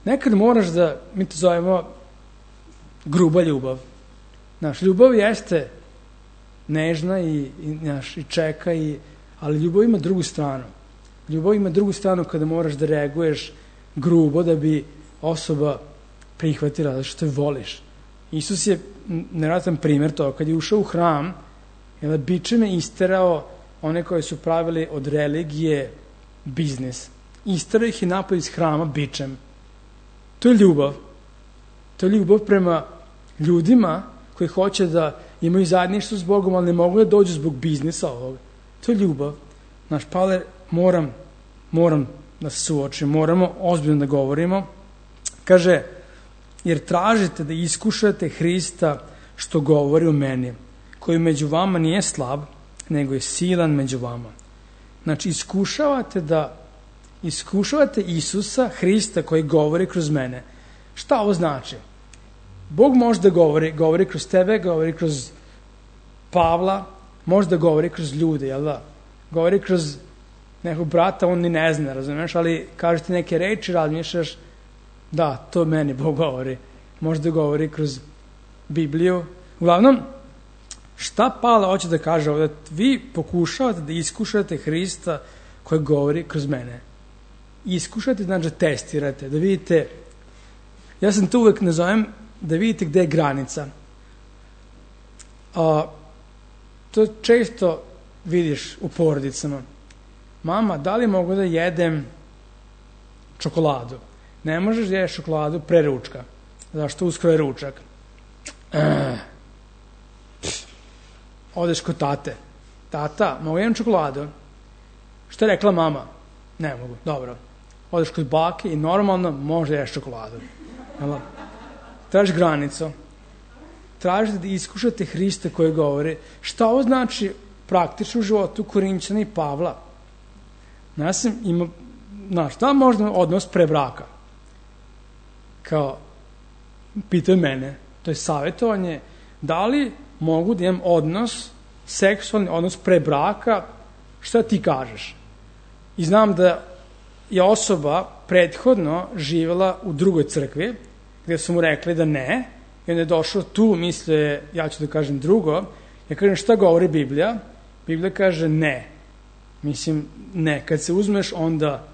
nekad moraš da, mi to zovemo gruba ljubav. Znaš, ljubav jeste nežna i, i, znaš, i čeka, i, ali ljubav ima drugu stranu. Ljubav ima drugu stranu kada moraš da reaguješ grubo da bi osoba prihvatila da što je voliš. Isus je nevjerojatan primjer toga. Kad je ušao u hram, je bičem je isterao one koje su pravili od religije biznis. Isterao ih i napad iz hrama bičem. To je ljubav. To je ljubav prema ljudima koji hoće da imaju zajedništvo s Bogom, ali ne mogu da dođu zbog biznisa ovog. To je ljubav. Naš Pavle, moram, moram da se suočim, moramo ozbiljno da govorimo. Kaže, jer tražite da iskušate Hrista što govori u meni, koji među vama nije slab, nego je silan među vama. Znači, iskušavate da iskušavate Isusa, Hrista koji govori kroz mene. Šta ovo znači? Bog može da govori, govori kroz tebe, govori kroz Pavla, može da govori kroz ljude, jel da? Govori kroz nekog brata, on ni ne zna, razumiješ, ali kažete neke reči, razmišljaš, da, to meni Bog govori. Može da govori kroz Bibliju. Uglavnom, šta Pavle hoće da kaže ovdje? Vi pokušavate da iskušate Hrista koji govori kroz mene. Iskušate, znači da testirate, da vidite, ja sam to uvek nazovem, da vidite gde je granica. A, to često vidiš u porodicama. Mama, da li mogu da jedem čokoladu? Ne možeš da jedeš čokoladu pre ručka. Zašto? Uskoro je ručak. E, odeš kod tate. Tata, mogu jedem čokoladu? Što je rekla mama? Ne mogu. Dobro. Odeš kod bake i normalno možeš da jedeš čokoladu. Tražiš granicu. Tražite da iskušate Hrista koji govori. Šta ovo znači praktično u životu Korinćana i Pavla? Ja sam ima, znaš, da možda odnos pre braka? Kao, pitaju mene, to je savjetovanje, da li mogu da imam odnos, seksualni odnos pre braka, šta ti kažeš? I znam da je osoba prethodno živjela u drugoj crkvi, gdje su mu rekli da ne, i onda je došao tu, mislio, ja ću da kažem drugo, ja kažem šta govori Biblija? Biblija kaže ne. Mislim, ne. Kad se uzmeš, onda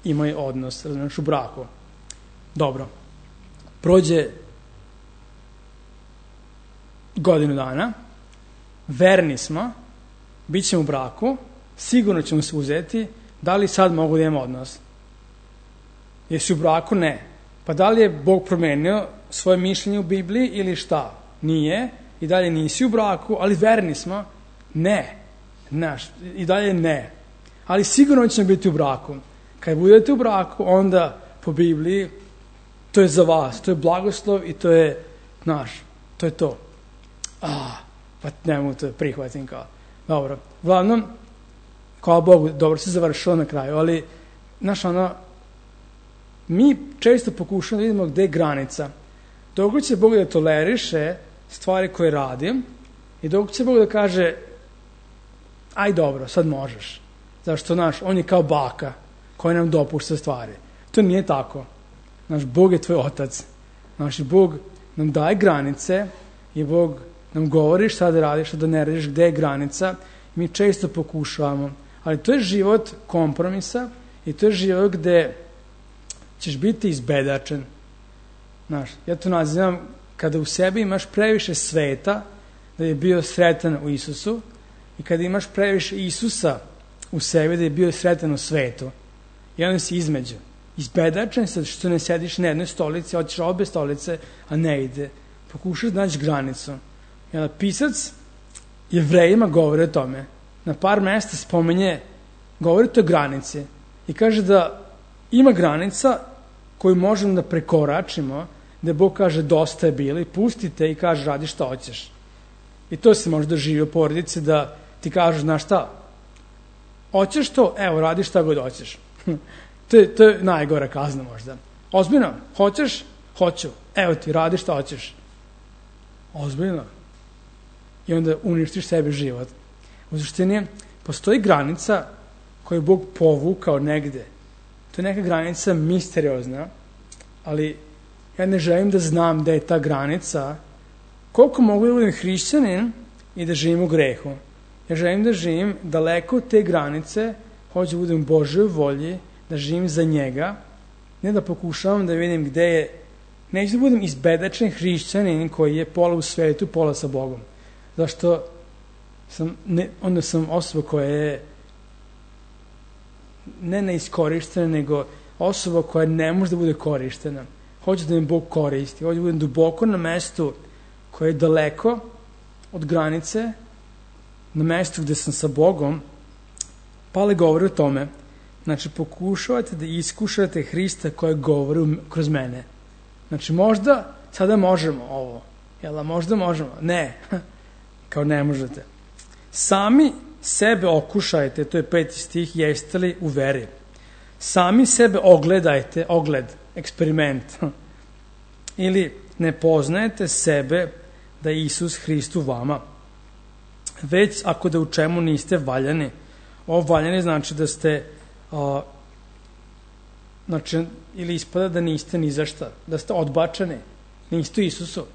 imaj odnos, razumiješ, u braku. Dobro. Prođe godinu dana, verni smo, bit ćemo u braku, sigurno ćemo se uzeti, da li sad mogu da imam odnos? Jesi u braku? Ne. Pa da li je Bog promenio svoje mišljenje u Bibliji ili šta? Nije. I dalje nisi u braku, ali verni smo? Ne. Znaš, i dalje ne. Ali sigurno ćemo biti u braku. Kad budete u braku, onda po Bibliji to je za vas, to je blagoslov i to je, znaš, to je to. Ah, pa ne mogu to prihvatim kao. Dobro. Uglavnom, hvala Bogu, dobro se završilo na kraju, ali, znaš, ono, mi često pokušamo da vidimo gde je granica. Dok će Bog da toleriše stvari koje radim i dok će Bog da kaže aj dobro, sad možeš. Zašto, znaš, on je kao baka koja nam dopušta stvari. To nije tako. Naš Bog je tvoj otac. Naš Bog nam daje granice i Bog nam govori šta da radiš, šta da ne radiš, gde je granica. Mi često pokušavamo. Ali to je život kompromisa i to je život gde ćeš biti izbedačen. Znaš, ja to nazivam kada u sebi imaš previše sveta da je bio sretan u Isusu i kada imaš previše Isusa u sebi da je bio sretan u svetu. I onda si između. Izbedačen sad što ne sediš na jednoj stolici, hoćeš obe stolice, a ne ide. Pokušaš da naći granicu. I onda pisac Jevrejima govori o tome. Na par mesta spomenje, govori o granici. I kaže da ima granica koju možemo da prekoračimo, da Bog kaže dosta je bilo i pustite i kaže radi šta hoćeš. I to se možda živi u porodici da ti kažeš, znaš šta, hoćeš to, evo radi šta god hoćeš. to, je, to je najgora kazna možda. Ozbiljno, hoćeš? Hoću. Evo ti, radi šta hoćeš. Ozbiljno. I onda uništiš sebi život. U suštini, postoji granica koju je Bog povukao negde. To je neka granica misteriozna, ali ja ne želim da znam da je ta granica, koliko mogu da budem hrišćanin i da živim u grehu. Ja želim da živim daleko od te granice, hoću da budem u Božoj volji, da živim za njega, ne da pokušavam da vidim gde je, neću da budem izbedačen hrišćanin koji je pola u svetu, pola sa Bogom. Zašto sam, ne, onda sam osoba koja je ne neiskorištena, nego osoba koja ne može da bude korištena. Hoću da me Bog koristi, hoću da budem duboko na mestu koje je daleko od granice, na mestu gde sam sa Bogom. Pavle govori o tome. Znači, pokušavate da iskušate Hrista koja govori kroz mene. Znači, možda sada možemo ovo. Jel, možda možemo? Ne. Kao ne možete. Sami sebe okušajte, to je peti stih, jeste li u veri. Sami sebe ogledajte, ogled, eksperiment. Ili ne poznajete sebe da je Isus Hrist u vama. Već ako da u čemu niste valjani. Ovo valjani znači da ste a, znači, ili ispada da niste ni za šta, da ste odbačeni, niste Isusu.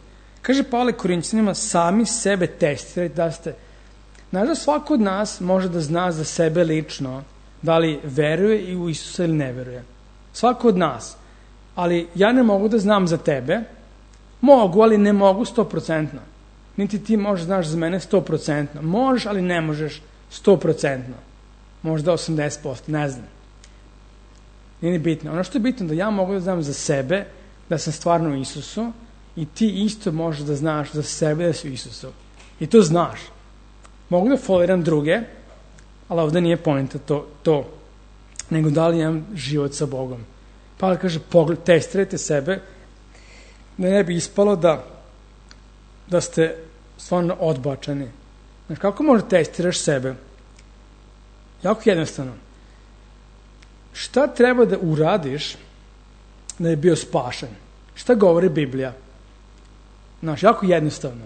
Kaže Pavle Korinćanima, sami sebe testirajte da ste. Znaš da svako od nas može da zna za sebe lično da li veruje i u Isusa ili ne veruje. Svako od nas. Ali ja ne mogu da znam za tebe, mogu, ali ne mogu sto procentno. Niti ti možeš znaš za mene sto procentno. Možeš, ali ne možeš sto procentno. Možda osamdeset posto, ne znam. Nije bitno. Ono što je bitno da ja mogu da znam za sebe da sam stvarno u Isusu i ti isto možeš da znaš za sebe da si u Isusu. I to znaš. Mogu da foliram druge, ali ovde nije pointa to, to, nego da li imam život sa Bogom. Pavle kaže, pogled, testirajte sebe, da ne bi ispalo da, da ste stvarno odbačeni. Znači, kako možeš testiraš sebe? Jako jednostavno. Šta treba da uradiš da je bio spašen? Šta govori Biblija? Znači, jako jednostavno.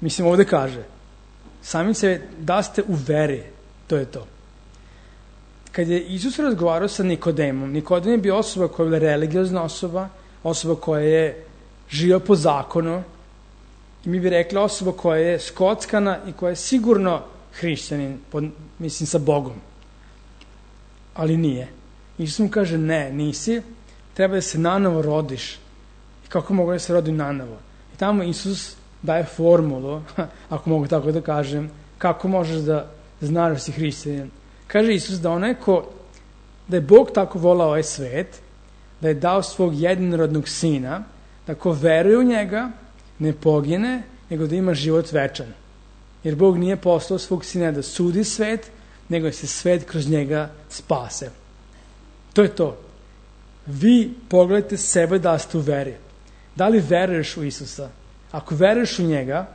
Mislim, ovde kaže, sami se da ste u veri, to je to. Kad je Isus razgovarao sa Nikodemom, Nikodem je bio osoba koja je bila religiozna osoba, osoba koja je živio po zakonu, i mi bi rekli osoba koja je skockana i koja je sigurno hrišćanin, pod, mislim sa Bogom. Ali nije. Isus mu kaže, ne, nisi, treba da se nanovo rodiš. I kako mogu da se rodim nanovo? I tamo Isus daje formulu, ako mogu tako da kažem, kako možeš da znaš da si hrišćanin. Kaže Isus da onaj ko, da je Bog tako volao ovaj svet, da je dao svog jedinorodnog sina, da ko veruje u njega, ne pogine, nego da ima život večan. Jer Bog nije poslao svog sina da sudi svet, nego da se svet kroz njega spase. To je to. Vi pogledajte sebe da ste u veri. Da li veruješ u Isusa? Ako veruješ u njega,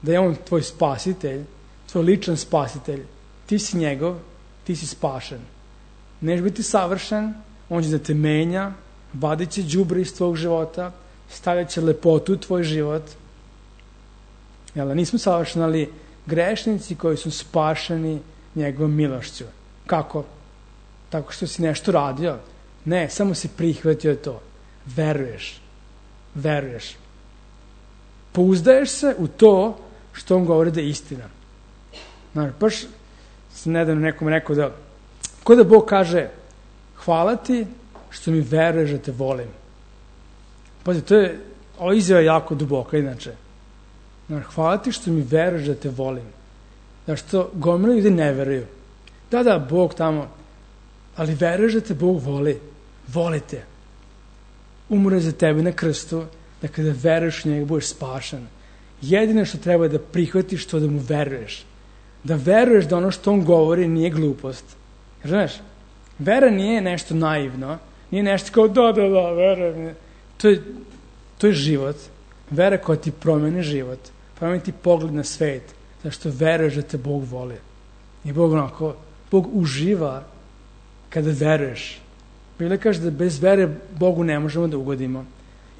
da je on tvoj spasitelj, tvoj ličan spasitelj, ti si njegov, ti si spašen. Neš biti savršen, on će da te menja, vadit će đubre iz tvojeg života, stavljat će lepotu u tvoj život. Jel, nismo savršeni, ali grešnici koji su spašeni njegovom milošću. Kako? Tako što si nešto radio? Ne, samo si prihvatio to. Veruješ. Veruješ. Pouzdaješ se u to što on govori da je istina. Znači, baš sam nedavno nekom rekao da, ko da Bog kaže, hvala ti što mi veruješ da te volim. Pazi, to je, ovo izjava je jako duboka, inače. Znači, hvala ti što mi veruješ da te volim. Zašto gomila ljudi ne veruju. Da, da, Bog tamo, ali veruješ da te Bog voli. Volite. Umre za tebe na krstu, da kada veruješ u njega budeš spašen. Jedino što treba je da prihvatiš to da mu veruješ. Da veruješ da ono što on govori nije glupost. Jer znaš, vera nije nešto naivno, nije nešto kao da, da, da, verujem. To je, to je život. Vera koja ti promeni život. Promeni ti pogled na svet. Zašto veruješ da te Bog voli. I Bog onako, Bog uživa kada veruješ. Biblia kaže da bez vere Bogu ne možemo da ugodimo.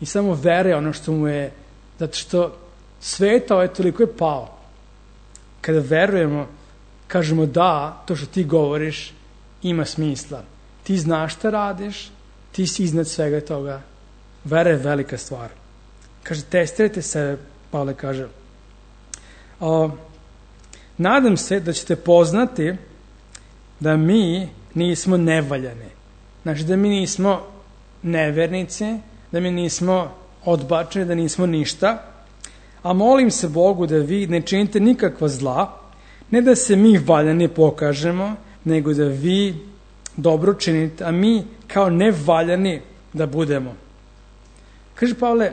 I samo vera je ono što mu je Zato što svet ovaj toliko je pao. Kada verujemo, kažemo da, to što ti govoriš ima smisla. Ti znaš šta radiš, ti si iznad svega toga. Vera je velika stvar. Kaže, testirajte sebe, Pavle kaže. O, nadam se da ćete poznati da mi nismo nevaljani. Znači da mi nismo nevernici, da mi nismo odbačeni, da nismo ništa. A molim se Bogu da vi ne činite nikakva zla, ne da se mi valjani pokažemo, nego da vi dobro činite, a mi kao nevaljani da budemo. Kaže Pavle,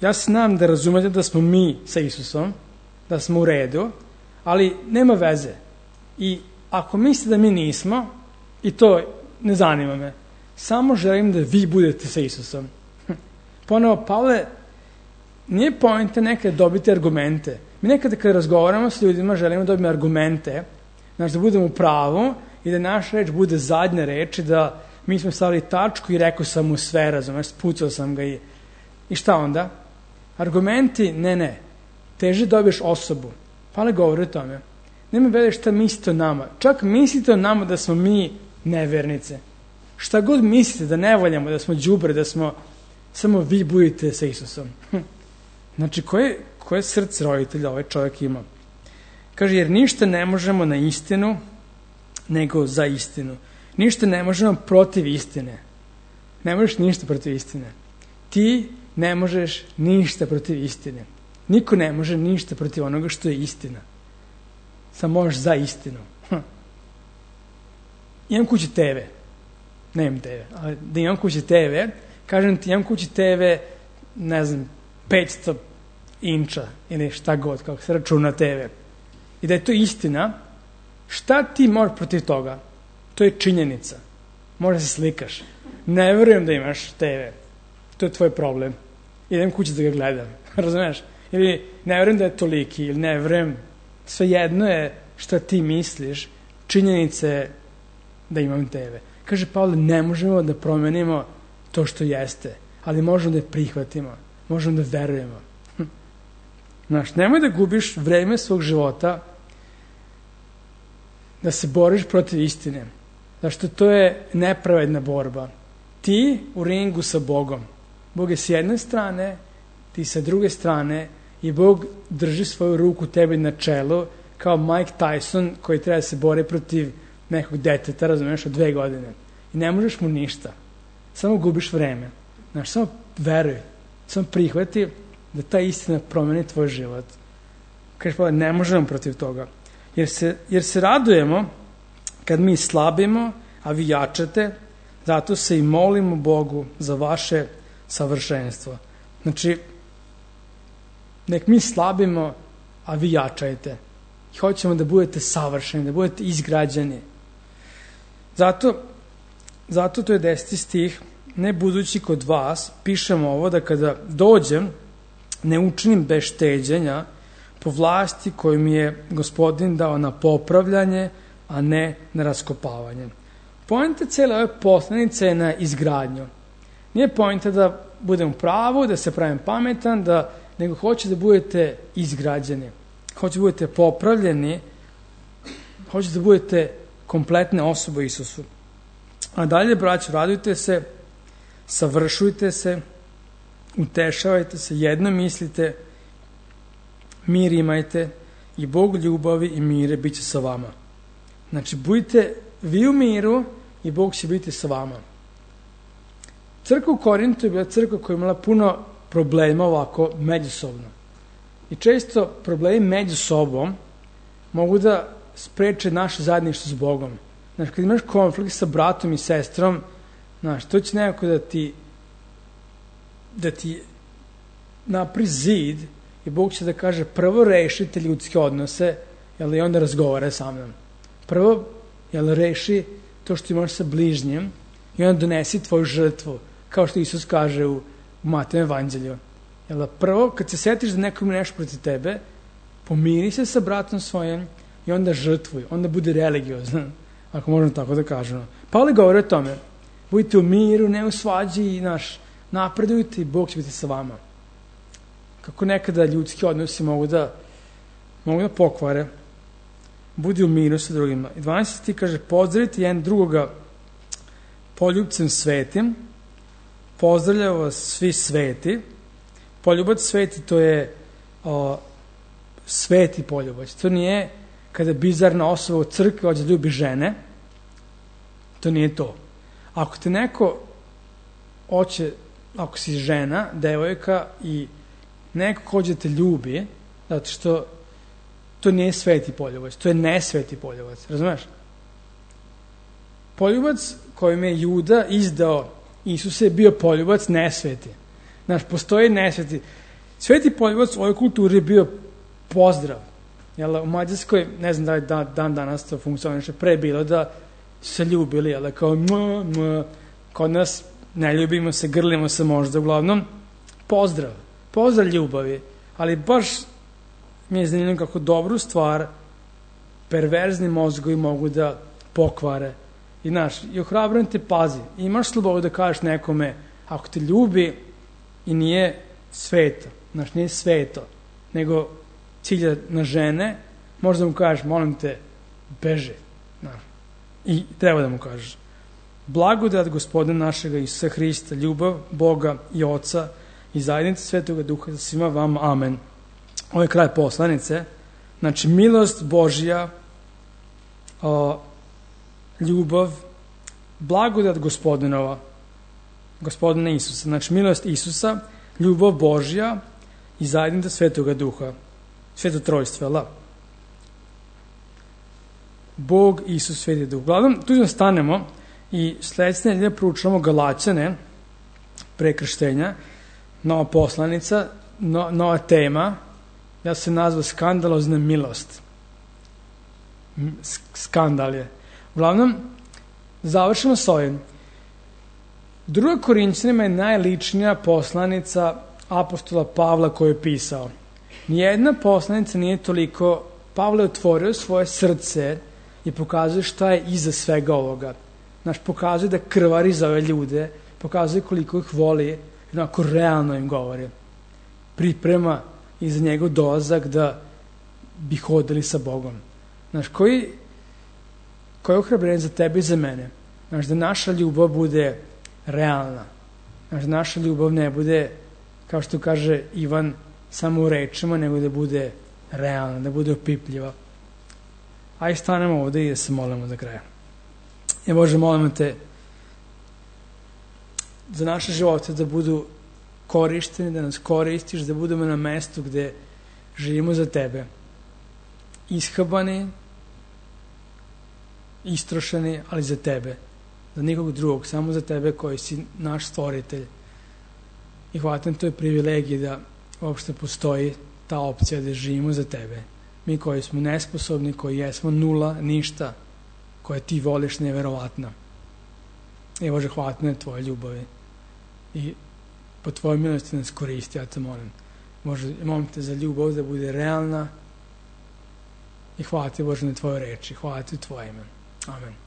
ja znam da razumete da smo mi sa Isusom, da smo u redu, ali nema veze. I ako mislite da mi nismo, i to ne zanima me, samo želim da vi budete sa Isusom. Ponovo, Pavle, nije poenta nekada dobiti argumente. Mi nekada kada razgovaramo s ljudima želimo da dobijemo argumente, znači da budemo u pravu i da naša reč bude zadnja reč i da mi smo stavili tačku i rekao sam mu sve, razumeš, spucao sam ga i, i šta onda? Argumenti, ne, ne. Teže dobiješ osobu. Pavle govori o tome. Nema veze šta mislite o nama. Čak mislite o nama da smo mi nevernice. Šta god mislite da ne valjamo, da smo đubre, da smo, samo vi budete sa Isusom. Znači, koje, koje srce roditelja ovaj čovjek ima? Kaže, jer ništa ne možemo na istinu, nego za istinu. Ništa ne možemo protiv istine. Ne možeš ništa protiv istine. Ti ne možeš ništa protiv istine. Niko ne može ništa protiv onoga što je istina. Samo možeš za istinu. Hm. Imam kući te ve. Ne imam te ve, ali da imam kući te ve, kažem ti, imam kući te ve, ne znam, petsto inča ili šta god, kako se računa te ve. I da je to istina, šta ti možeš protiv toga? To je činjenica. Možda se slikaš. Ne verujem da imaš te ve. To je tvoj problem. Idem kući da ga gledam. Razumeš? Ili ne verujem da je toliki, ili ne verujem. Sve jedno je šta ti misliš, činjenica je da imam te ve. Kaže Pavle, ne možemo da promenimo to što jeste, ali možemo da je prihvatimo. Možemo da verujemo. Znaš, nemoj da gubiš vreme svog života da se boriš protiv istine. Zašto to je nepravedna borba. Ti u ringu sa Bogom. Bog je s jedne strane, ti sa druge strane i Bog drži svoju ruku tebi na čelu kao Mike Tyson koji treba da se bori protiv nekog deteta, razumiješ, od dve godine. I ne možeš mu ništa. Samo gubiš vreme. Znaš, samo veruj. Samo prihvati da ta istina promeni tvoj život. Kažeš pa, ne možemo protiv toga. Jer se, jer se radujemo kad mi slabimo, a vi jačate, zato se i molimo Bogu za vaše savršenstvo. Znači, nek mi slabimo, a vi jačajte. I hoćemo da budete savršeni, da budete izgrađeni. Zato, zato to je deseti stih, ne budući kod vas, pišemo ovo da kada dođem, ne učinim bez šteđenja po vlasti koju mi je Gospodin dao na popravljanje, a ne na raskopavanje. Poenta cijele ove poslanice je na izgradnju. Nije poenta da budem u pravu, da se pravim pametan, da, nego hoće da budete izgrađeni. Hoće da budete popravljeni, hoće da budete kompletne osobe u Isusu. A dalje, braćo, radujte se, savršujte se, utešavajte se, jedno mislite, mir imajte i Bog ljubavi i mire bit će sa vama. Znači, budite vi u miru i Bog će biti sa vama. Crkva u Korintu je bila crkva koja je imala puno problema ovako međusobno. I često problemi među sobom mogu da spreče naše zajedništvo s Bogom. Znači, kad imaš konflikt sa bratom i sestrom, znaš, to će nekako da ti da ti napri zid i Bog će da kaže prvo rešite ljudske odnose, jel, i onda razgovara sa mnom. Prvo, jel, reši to što imaš sa bližnjim i onda donesi tvoju žrtvu, kao što Isus kaže u, u Matejem evanđelju. Jel, prvo, kad se setiš da neko ima nešto protiv tebe, pomiri se sa bratom svojim i onda žrtvuj, onda bude religiozan, ako možemo tako da kažemo. Pavle govori o tome, budite u miru, ne u svađi i naš, napredujte i Bog će biti sa vama. kako nekada ljudski odnosi mogu da, mogu da pokvare, budi u miru sa drugima. I dvanaesti kaže, pozdravite jedan drugoga poljubcem svetim, pozdravljaju vas svi sveti. Poljubac sveti, to je o, sveti poljubac. To nije kada bizarna osoba u crkvi hoće da ljubi žene. To nije to. Ako te neko hoće, ako si žena, devojka i neko hoće da te ljubi, zato što to nije sveti poljubac, to je nesveti poljubac, razumeš? Poljubac kojim je Juda izdao Isuse je bio poljubac nesveti. Znaš, postoji nesveti. Sveti poljubac u ovoj kulturi je bio pozdrav. Jel, u Mađarskoj, ne znam da li dan, dan danas to funkcioniše, pre je bilo da se ljubili, jel, kao m, m, kod nas ne ljubimo se, grlimo se možda, uglavnom pozdrav, pozdrav ljubavi, ali baš mi je zanimljivo kako dobru stvar perverzni mozgovi mogu da pokvare. I znaš, i ohrabrujem te, pazi, imaš slobodu da kažeš nekome, ako te ljubi i nije sveto, znaš, nije sveto, nego cilja na žene, možda mu kažeš, molim te, beži, znaš, i treba da mu kažeš. Blagodat Gospodina našega Isusa Hrista, ljubav Boga i Oca i zajednica Svetoga Duha za svima vam, amen. Ovo je kraj poslanice. Znači, milost Božja, o, ljubav, blagodat Gospodinova, Gospodina Isusa. Znači, milost Isusa, ljubav Božja i zajednica Svetoga Duha. Sveto trojstvo, jel' da? Bog, Isus, Sveti Duh. Uglavnom, tu nam stanemo i sledeće nedelje proučavamo Galaćane pre krštenja, nova poslanica, no, nova tema, ja se nazva skandalozna milost. Skandal je. Uglavnom, završimo s ovim. Druga Korinćanima je najličnija poslanica apostola Pavla koju je pisao. Nijedna poslanica nije toliko, Pavle je otvorio svoje srce i pokazuje šta je iza svega ovoga. Znaš, pokazuje da krvari za ove ljude, pokazuje koliko ih voli, jednako realno im govori. Priprema i za njegov dolazak da bi hodili sa Bogom. Znaš, koji, koji je ohrabrenje za tebe i za mene? Znaš, da naša ljubav bude realna. Znaš, da naša ljubav ne bude, kao što kaže Ivan, samo u rečima, nego da bude realna, da bude opipljiva. Ajde stanemo ovde i da se molimo do kraja. Ja, Bože, molimo te za naše živote da budu korišteni, da nas koristiš, da budemo na mestu gde živimo za tebe. Ishabani, istrošeni, ali za tebe. Za nikog drugog, samo za tebe koji si naš stvoritelj. I hvatam to je privilegij da uopšte postoji ta opcija da živimo za tebe. Mi koji smo nesposobni, koji jesmo nula, ništa, koje ti voliš neverovatno. I Bože, hvala na tvoje ljubavi. I po tvojoj milosti nas koristi, ja te molim. Bože, molim te za ljubav da bude realna i hvala ti, Bože, na tvoje reči. Hvala ti u tvoje ime. Amen.